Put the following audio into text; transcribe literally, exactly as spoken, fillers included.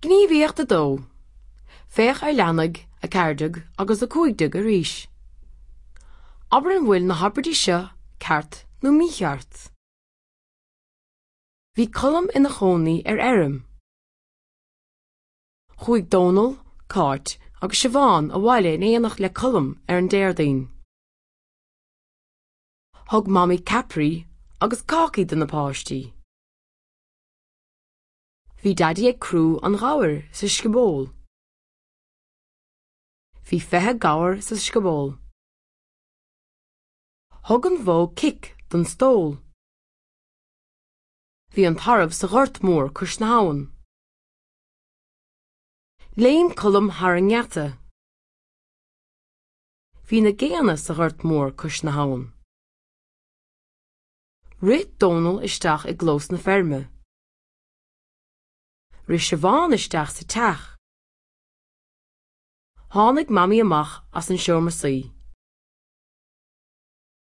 Gníomhaíocht a dó. Féach ar leathanaigh a ceathair déag agus a cúig déag arís. Abair an bhfuil na habairtí seo ceart nó mícheart. Bhí Colm ina chónaí ar fheirm. Chuaigh Dónal, Cáit agus Siobhán abhaile in éineacht le Colm ar an Déardaoin. Thug Mamaí ceapairí agus cácaí do na páistí. Bhí Daidí ag crú an ghabhair sa scioból. Bhí fiche gabhar sa scioból. Thug an bhó cic don stól. Bhí an tarbh sa ghort mór cois na habhann. Léim Colm thar an ngeata. Bhí na géanna sa ghort mór cois na habhann. Rith Dónal isteach i gclós na feirme. Rith Siobhán isteach sa teach. Tháinig Mamaí amach as an seomra suí.